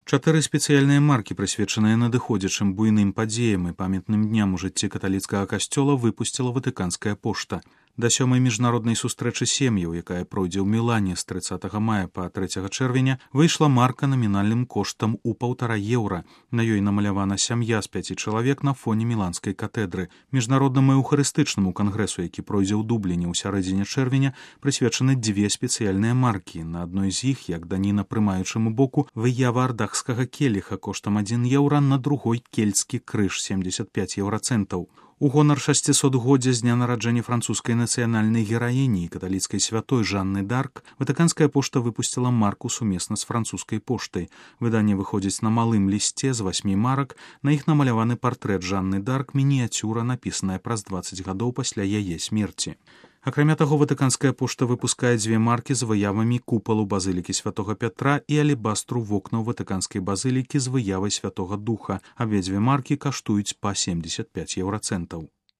4 спецыяльныя маркі, прысвечаныя надыходзячым буйным падзеям і памятным дням у жыцці каталіцкага касцёла, выпусціла Ватыканская пошта. Да 7-й міжнароднай сустрэчы сем'яў, якая пройдзе ў Мілане з 30 мая па 3 чэрвеня, выйшла марка намінальным коштам у 1,5 еўра. На ёй намалявана сям'я з 5 чалавек на фоне Міланскай катэдры. Міжнароднаму эўхарыстычнаму кангрэсу, які пройдзе ў Дубліне ў сярэдзіне чэрвеня, прысвечаны 2 спецыяльныя маркі. На адной з іх, як даніна прымаючаму боку, выява ардахскага келіха коштам 1 еўра, на другой кельцкі крыж 75 еўрацэнтаў. У гонар 600-годдзя з дня нараджэння французскай нацыянальнай гераіні і каталіцкай святой Жанны Дарк Ватыканская пошта выпусціла марку сумесна з французскай поштай. Выданне выходзіць на малым лісце з 8 марак, на іх намаляваны партрэт Жанны Дарк, мініяцюра, напісаная праз 20 гадоў пасля яе смерці. Акрамя таго, Ватыканская пошта выпускае 2 маркі з выявамі купалу базылікі святога Пятра і алебастру вокнаў Ватыканскай базылікі з выявай святога Духа. Абедзве маркі каштуюць па 75 еўрацэнтаў.